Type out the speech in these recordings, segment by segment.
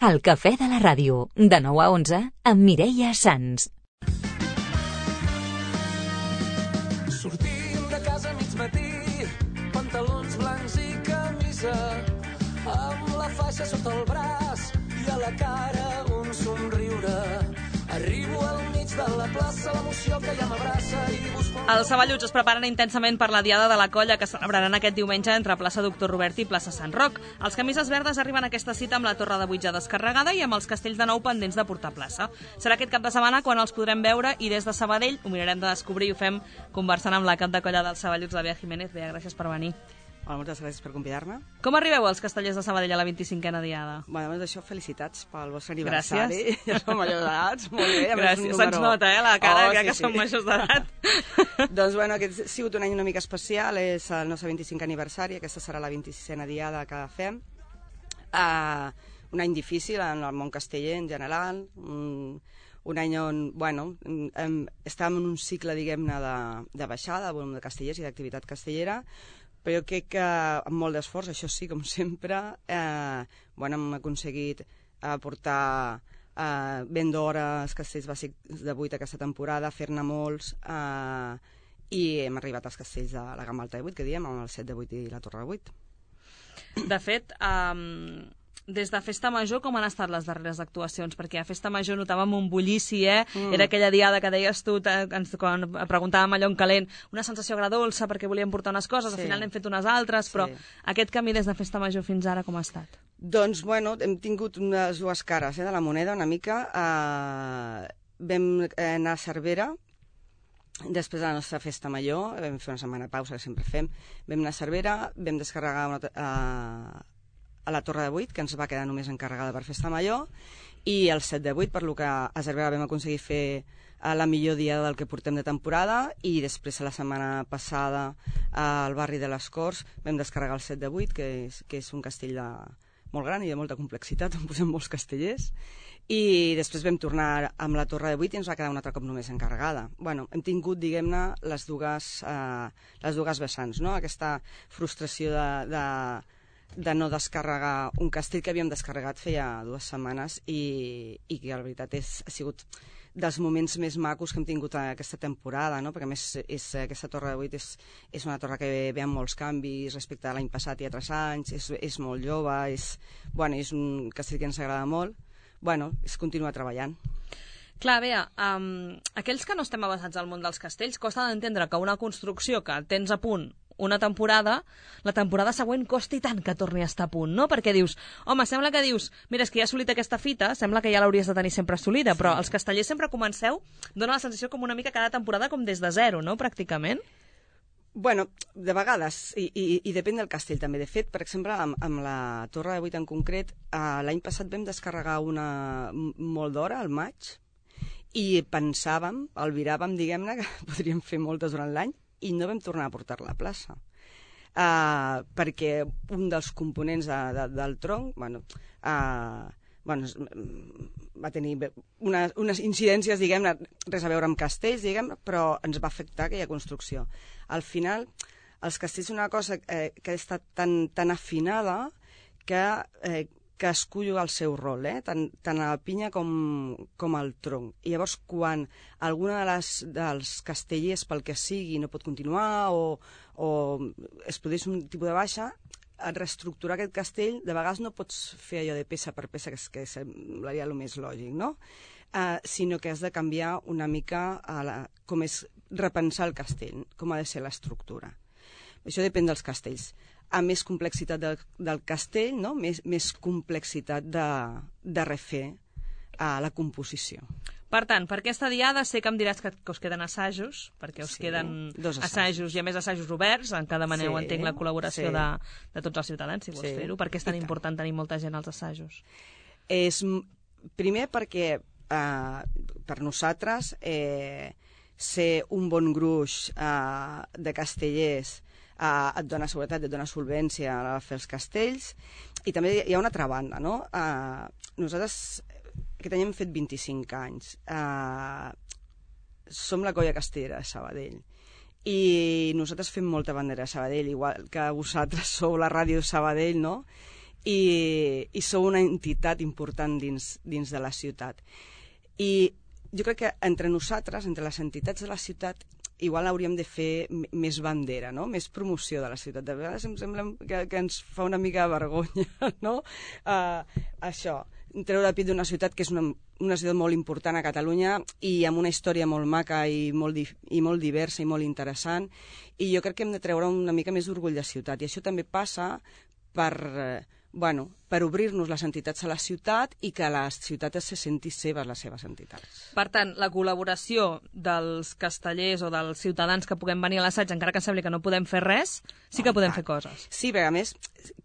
El cafè de la ràdio, de 9 a 11, amb Mireia Sans. Sortim de casa a mig matí, pantalons blancs i camisa, amb la faixa sota el braç i a la cara un somriure. Arribo al mig de la plaça, l'emoció que ja m'abraça i busco... Els saballuts es preparen intensament per la diada de la colla que celebraran aquest diumenge entre plaça Doctor Robert i plaça Sant Roc. Els camises verdes arriben a aquesta cita amb la Torre de Buit ja descarregada i amb els castells de nou pendents de portar a plaça. Serà aquest cap de setmana quan els podrem veure i des de Sabadell ho mirarem de descobrir i ho fem conversant amb la cap de colla dels saballuts, la Bea Jiménez. Bea, gràcies per venir. Hola, moltes gràcies per convidar-me. Com arribeu als castellers de Sabadell a la 25a diada? Bueno, abans d'això, felicitats pel vostre aniversari. Gràcies. Ja som majors d'edat, molt bé. Gràcies, se'ns nota, la cara, que som majors d'edat. Doncs, bueno, aquest ha sigut un any una mica especial, és el nostre 25è aniversari, aquesta serà la 26a diada que fem. Un any difícil en el món casteller en general, un any on, bueno, estàvem en un cicle, diguem-ne, de baixada, de volum de castellers i d'activitat castellera, però jo crec que amb molt d'esforç, això sí, com sempre, hem aconseguit portar ben d'hora els castells bàsics de 8 aquesta temporada, fer-ne molts, i hem arribat als castells de la gamma alta de 8, que diem, amb el 7 de 8 i la torre de 8. De fet, des de Festa Major, com han estat les darreres actuacions? Perquè a Festa Major notàvem un bullici, Era aquella diada que deies tu, quan preguntàvem allò en calent, una sensació agradolça perquè volíem portar unes coses, al final n'hem fet unes altres, però aquest camí des de Festa Major fins ara com ha estat? Doncs, bueno, hem tingut unes dues cares de la moneda, una mica. Vam anar a Cervera, després de la nostra Festa Major, vam fer una setmana de pausa, que sempre fem, vam anar a Cervera, vam descarregar a la Torre de 8, que ens va quedar només encarregada per Festa Major, i el 7 de 8, per lo que a Cervera vam aconseguir fer la millor diada del que portem de temporada, i després la setmana passada al barri de les Corts vam descarregar el 7 de 8, que és un castell molt gran i de molta complexitat, on posem molts castellers, i després vam tornar amb la Torre de 8 i ens va quedar un altre cop només encarregada. Bueno, hem tingut, diguem-ne, les dues vessants, no? Aquesta frustració de no descarregar un castell que havíem descarregat feia 2 setmanes i que la veritat ha sigut dels moments més macos que hem tingut aquesta temporada, no? Perquè a més aquesta Torre de 8 és una torre que ve amb molts canvis respecte a l'any passat i a 3 anys, és molt jove, és un castell que ens agrada molt. És continuar treballant. Clar, Bea, aquells que no estem avesats al món dels castells costa d'entendre que una construcció que tens a punt una temporada, la temporada següent costa i tant que torni a estar a punt, no? Perquè dius, home, sembla que dius, mira, és que ja he assolit aquesta fita, sembla que ja l'hauries de tenir sempre assolida, però els castellers sempre comenceu, dona la sensació com una mica cada temporada com des de zero, no?, pràcticament. Bueno, de vegades, i depèn del castell també. De fet, per exemple, amb la Torre de 8 en concret, l'any passat vam descarregar una molt d'hora, al maig, i pensàvem, albiràvem, diguem-ne, que podríem fer moltes durant l'any, i no vam tornar a portar-la a plaça. Perquè un dels components del tronc va tenir unes incidències, diguem-ne, res a veure amb castells, però ens va afectar aquella construcció. Al final, els castells són una cosa que ha estat tan afinada que cadascú juga el seu rol, tant a la pinya com al tronc. I llavors, quan alguna dels castellers, pel que sigui, no pot continuar o es produeix un tipus de baixa, a reestructurar aquest castell, de vegades no pots fer allò de peça per peça, que semblaria el més lògic, no? Sinó que has de canviar una mica com és repensar el castell, com ha de ser l'estructura. Això depèn dels castells. A més complexitat del castell, no? Més complexitat de refer la composició. Per tant, per aquesta diada sé que em diràs que us queden assajos, perquè us queden assajos i a més assajos oberts, en què demaneu, entenc, la col·laboració de tots els ciutadans, si vols fer-ho. Per què és tan important tenir molta gent als assajos? Primer perquè per nosaltres ser un bon gruix de castellers et dona seguretat, et dona solvència a fer els castells, i també hi ha una altra banda, no? Nosaltres aquest any hem fet 25 anys. Som la colla castellera de Sabadell i nosaltres fem molta bandera a Sabadell, igual que vosaltres sou la ràdio de Sabadell, no? i sou una entitat important dins de la ciutat. I jo crec que entre nosaltres, entre les entitats de la ciutat, igual hauríem de fer més bandera, no? Més promoció de la ciutat. De vegades em sembla que ens fa una mica de vergonya, no? Això, treure pit d'una ciutat que és una ciutat molt important a Catalunya i amb una història molt maca i molt diversa i molt interessant, i jo crec que hem de treure una mica més d'orgull de ciutat, i això també passa per obrir-nos les entitats a la ciutat i que la ciutat se senti seves, les seves entitats. Per tant, la col·laboració dels castellers o dels ciutadans que puguem venir a l'assaig, encara que sembli que no podem fer res, sí que podem fer coses. Sí, perquè a més,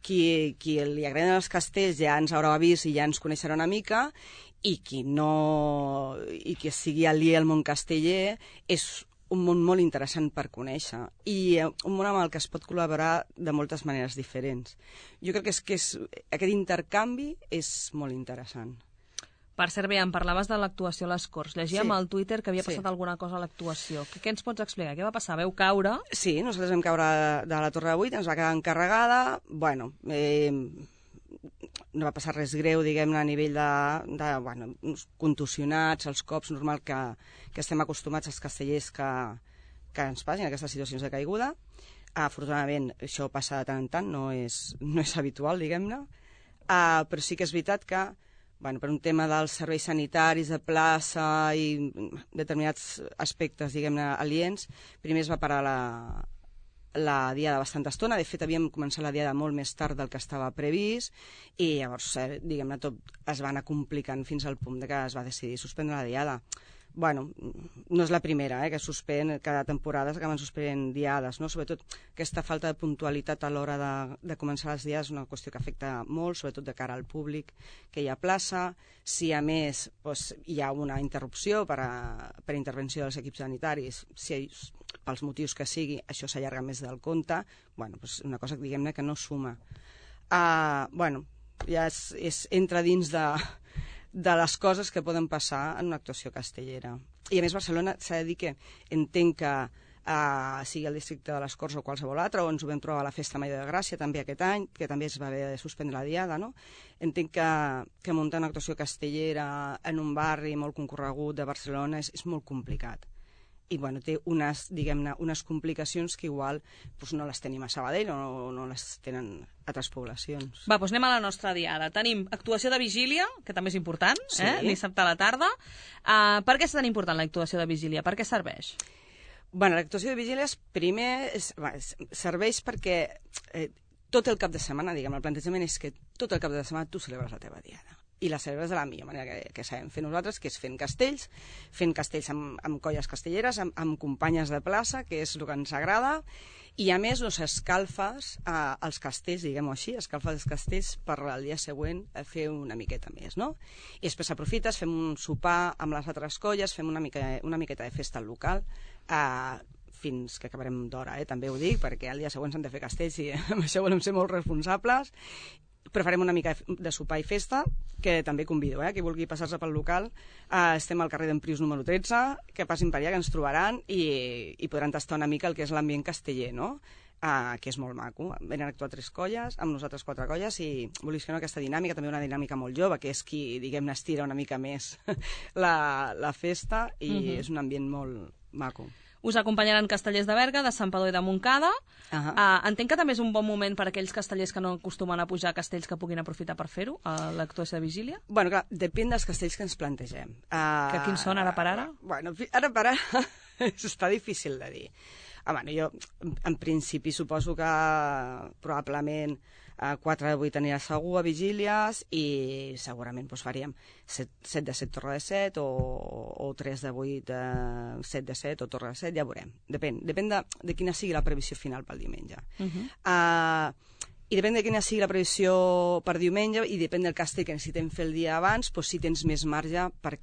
qui li agraden els castells ja ens haurà vist i ja ens coneixerà una mica, i qui no, i qui sigui aliè al món casteller, és un món molt interessant per conèixer i un món amb el que es pot col·laborar de moltes maneres diferents. Jo crec que aquest intercanvi és molt interessant. Per cert, bé, em parlaves de l'actuació a les Corts. Llegíem al Twitter que havia passat alguna cosa a l'actuació. Què ens pots explicar? Què va passar? Veu caure? Sí, nosaltres vam caure de la Torre de 8, ens va quedar encarregada. Bueno, no va passar res greu, diguem-ne, a nivell de contusionats, els cops, normal que estem acostumats als castellers que ens passin aquestes situacions de caiguda. Afortunadament, això passa de tant en tant, no és habitual, diguem-ne. Però sí que és veritat que, per un tema dels serveis sanitaris, de plaça i determinats aspectes, diguem-ne, aliens, primer es va parar la diada bastanta estona. De fet, havíem començat la diada molt més tard del que estava previst i llavors, diguem-ne, tot es va anar complicant fins al punt de que es va decidir suspendre la diada. Bueno, no és la primera que suspèn, cada temporada s'acaben suspenent diades, no? Sobretot aquesta falta de puntualitat a l'hora de començar les diades és una qüestió que afecta molt, sobretot de cara al públic que hi ha plaça. Si a més hi ha una interrupció per intervenció dels equips sanitaris, si pels motius que sigui això s'allarga més del compte, és una cosa, diguem-ne, que no suma. Ja entra dins de les coses que poden passar en una actuació castellera. I a més Barcelona s'ha de dir que entenc que sigui el districte de les Corts o qualsevol altre, o ens ho vam trobar a la Festa Major de Gràcia també aquest any, que també es va haver de suspendre la diada, no? Entenc que muntar una actuació castellera en un barri molt concorregut de Barcelona és molt complicat. I té unes complicacions que igual no les tenim a Sabadell o no les tenen altres poblacions. Va, doncs anem a la nostra diada. Tenim actuació de vigília, que també és important, dissabte a la tarda. Per què és tan important l'actuació de vigília? Per què serveix? L'actuació de vigília primer serveix perquè tot el cap de setmana, el plantejament és que tot el cap de setmana tu celebres la teva diada. I la celebres de la millor manera que sabem fer nosaltres, que és fent castells amb colles castelleres, amb companyes de plaça, que és el que ens agrada, i a més escalfes els castells, diguem-ho així, escalfes els castells per al dia següent fer una miqueta més, no? I després aprofites, fem un sopar amb les altres colles, fem una miqueta de festa al local, fins que acabarem d'hora, també ho dic, perquè el dia següent s'han de fer castells i amb això volem ser molt responsables. Però farem una mica de sopar i festa, que també convido, qui vulgui passar-se pel local. Estem al carrer d'Emprius número 13, que passin per allà, que ens trobaran i podran tastar una mica el que és l'ambient casteller, no? Que és molt maco. Venen a actuar 3 colles, amb nosaltres 4 colles, i evoluciona aquesta dinàmica, també una dinàmica molt jove, que és qui, diguem-ne, estira una mica més la festa, i és un ambient molt maco. Us acompanyaran castellers de Berga, de Santpedor i de Montcada. Entenc que també és un bon moment per a aquells castellers que no acostumen a pujar a castells que puguin aprofitar per fer-ho, a l'actuació de vigília? Clar, depèn dels castells que ens plantegem. Que quins són ara per ara? Ara per ara està difícil de dir. Jo, en principi, suposo que probablement 4 de 8 anirà segur a vigílies i segurament faríem 7 de 7 Torre de 7 o 3 de 8 7 de 7 o Torre de 7, ja veurem. Depèn de quina sigui la previsió final pel diumenge. I depèn de quina sigui la previsió per diumenge i depèn del castell que necessitem fer el dia abans, si tens més marge per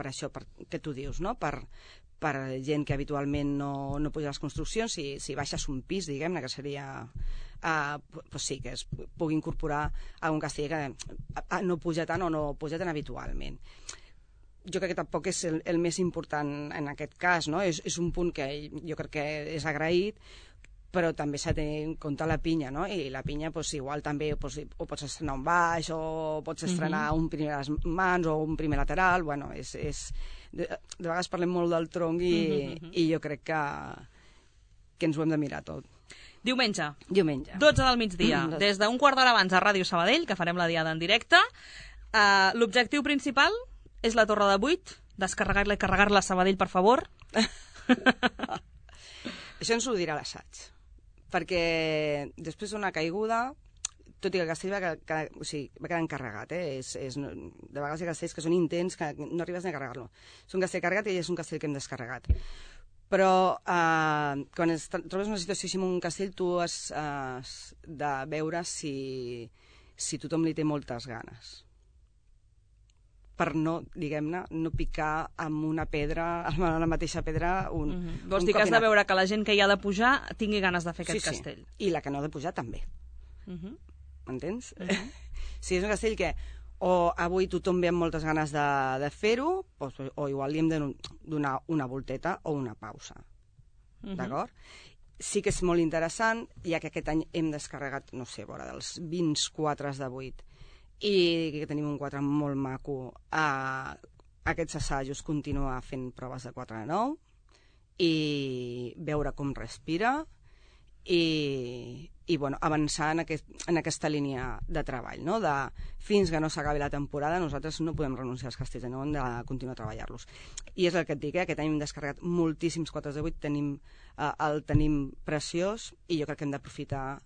això, que tu dius, no? Per gent que habitualment no puja a les construccions, si baixes un pis, diguem-ne, que seria... sí, que es pugui incorporar a un castell que no puja tant o no puja tan habitualment. Jo crec que tampoc és el més important en aquest cas, no? És un punt que jo crec que és agraït, però també s'ha de tenir en compte la pinya, no? I la pinya, igual també o pots estrenar un baix, o pots estrenar un primer a les mans, o un primer lateral, bueno, de vegades parlem molt del tronc i jo crec que ens ho hem de mirar tot. Diumenge. 12 del migdia. Des d'un quart d'hora abans a Ràdio Sabadell, que farem la diada en directe. L'objectiu principal és la Torre de Buit, descarregar-la i carregar-la a Sabadell, per favor. Això ens ho dirà l'assaig. Perquè després d'una caiguda, tot i que el castell va quedar encarregat, de vegades hi ha castells que són intents, que no arribes ni a carregar-lo. És un castell carregat i és un castell que hem descarregat. Però quan trobes una situació així en un castell, tu has de veure si tothom li té moltes ganes. Per no, diguem-ne, no picar amb una pedra, amb la mateixa pedra, Vols dir que has de veure que la gent que hi ha de pujar tingui ganes de fer aquest castell. I la que no ha de pujar també. M'entens? Si és un castell que o avui tothom ve amb moltes ganes de fer-ho, o igual li hem de donar una volteta o una pausa. D'acord? Sí que és molt interessant, ja que aquest any hem descarregat, no sé, vora dels 20 quatres de 8, i que tenim un 4 molt maco, aquests assajos continuar fent proves de 4 a 9 i veure com respira i bueno, avançar en aquesta línia de treball, no? Fins que no s'acabi la temporada nosaltres no podem renunciar als castells de 9, hem de continuar a treballar-los. I és el que et dic, aquest any hem descarregat moltíssims 4 de 8, el tenim preciós i jo crec que hem d'aprofitar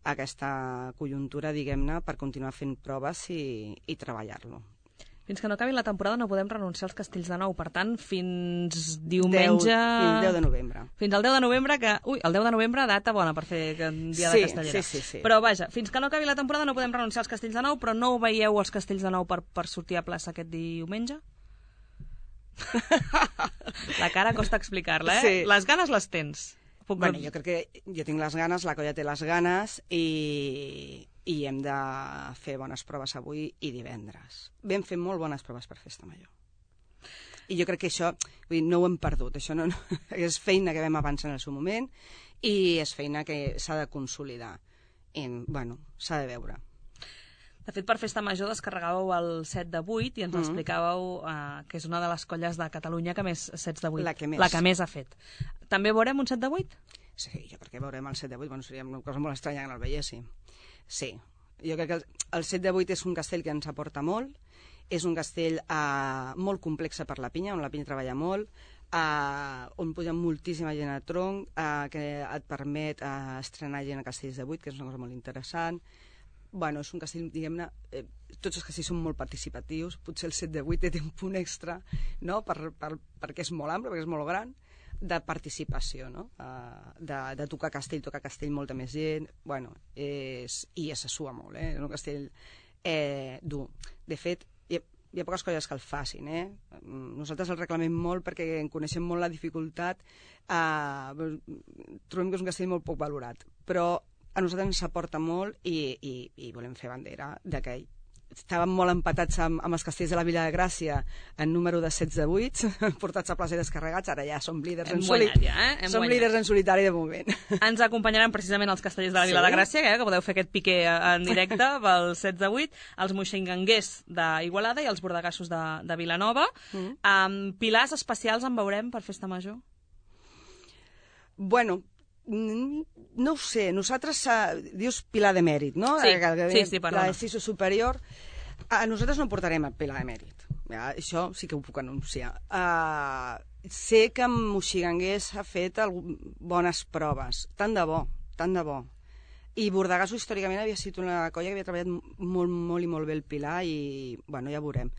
aquesta conjuntura, diguem-ne, per continuar fent proves i treballar-lo. Fins que no acabi la temporada no podem renunciar als castells de 9, per tant, fins diumenge... Fins 10 de novembre. Fins al 10 de novembre, el 10 de novembre, data bona per fer dia de castellera. Sí. Però vaja, fins que no acabi la temporada no podem renunciar als castells de 9, però no ho veieu els castells de 9 per sortir a plaça aquest diumenge? La cara costa explicar-la, Sí. Les ganes les tens. Bueno, jo crec que jo tinc les ganes, la colla té les ganes i hem de fer bones proves avui i divendres. Vam fer molt bones proves per Festa Major. I jo crec que això no ho hem perdut. Això no, és feina que vam avançar en el seu moment i és feina que s'ha de consolidar. I, bueno, s'ha de veure. De fet, per Festa Major descarregàveu el 7 de 8 i ens explicàveu que és una de les colles de Catalunya que més sets de 8. La que més ha fet. També veurem un 7 de 8? Sí, jo perquè veurem el 7 de 8. Bueno, seria una cosa molt estranya que no el veiéssim. Sí. Jo crec que el 7 de 8 és un castell que ens aporta molt. És un castell molt complex per la pinya, on la pinya treballa molt, on puja moltíssima gent a tronc, que et permet estrenar gent a castells de 8, que és una cosa molt interessant. Bueno, és un castell, diguem-ne, tots els castells són molt participatius, potser el 7 de 8 té un punt extra, no?, perquè és molt ample, perquè és molt gran, de participació, no?, de tocar castell molta més gent, bueno, i se sua molt, és un castell dur. De fet, hi ha poques colles que el facin, Nosaltres el reclamem molt perquè en coneixem molt la dificultat, trobem que és un castell molt poc valorat, però a nosaltres ens aporta molt i volem fer bandera de que estàvem molt empatats amb els castells de la Vila de Gràcia en número de 16 de 8, portats a plaça i descarregats, ara ja som líders en solitari. Som líders en solitari de moment. Ens acompanyaran precisament els castellers de la Vila de Gràcia, que podeu fer aquest piqué en directe pel 16 de 8, els moixenganguers d'Igualada i els bordegassos de Vilanova. Pilars especials en veurem per Festa Major? Bueno, no ho sé, nosaltres dius pilar de mèrit, no? Sí, perdona. La decisió superior. Nosaltres no portarem el pilar de mèrit. Això sí que ho puc anunciar. Sé que Moixiganguers ha fet bones proves. Tant de bo, tant de bo. I Bordegasso històricament havia sigut una colla que havia treballat molt, molt i molt bé el pilar i, bueno, ja veurem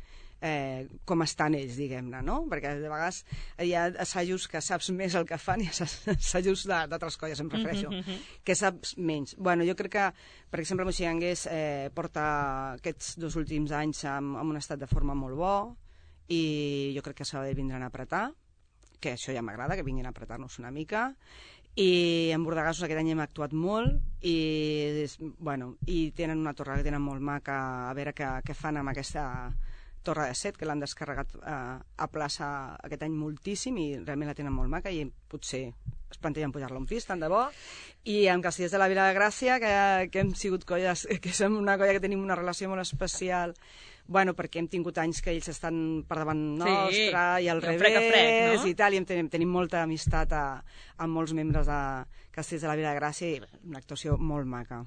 com estan ells, diguem-ne, no? Perquè de vegades hi ha assajos que saps més el que fan i assajos d'altres colles, em refereixo, que saps menys. Bueno, jo crec que, per exemple, Moixiganguers porta aquests 2 últims anys amb un estat de forma molt bo i jo crec que Sabadell vindran a apretar, que això ja m'agrada, que vinguin a apretar-nos una mica, i en Bordegassos aquest any hem actuat molt i, bueno, i tenen una torre que tenen molt maca, a veure què fan amb aquesta Torre de Set, que l'han descarregat a plaça aquest any moltíssim i realment la tenen molt maca i potser es plantegen pujar-la un pis, tant de bo. I amb Castellers de la Vila de Gràcia, que hem sigut colles, que som una colla que tenim una relació molt especial, bueno, perquè hem tingut anys que ells estan per davant nostre i al revés, no? I tal, i tenim molta amistat amb molts membres de Castellers de la Vila de Gràcia i una actuació molt maca.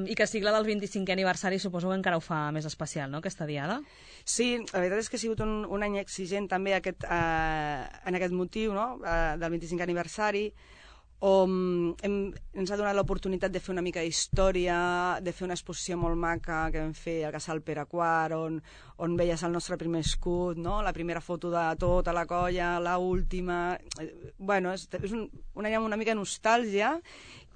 I que sigla del 25è aniversari suposo que encara ho fa més especial, no?, aquesta diada? Sí, la veritat és que ha sigut un any exigent també en aquest motiu, no?, del 25è aniversari, on ens ha donat l'oportunitat de fer una mica d'història, de fer una exposició molt maca que vam fer al Casal Pere IV, on veies el nostre primer escut, no?, la primera foto de tota la colla, l'última... Bueno, és un any amb una mica de nostàlgia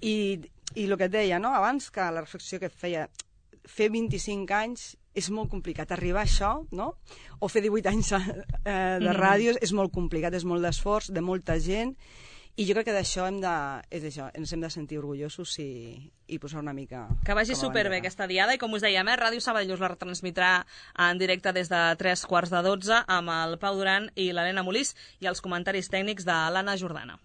i el que et deia, no?, abans, que la reflexió que feia, fer 25 anys és molt complicat. Arribar a això, no?, o fer 18 anys de ràdio és molt complicat, és molt d'esforç, de molta gent, i jo crec que d'això ens hem de sentir orgullosos i posar una mica... Que vagi superbé aquesta diada, i com us dèiem, Ràdio Sabadell us la retransmetrà en directe des de 3:15 amb el Pau Duran i l'Helena Molís i els comentaris tècnics de l'Anna Jordana.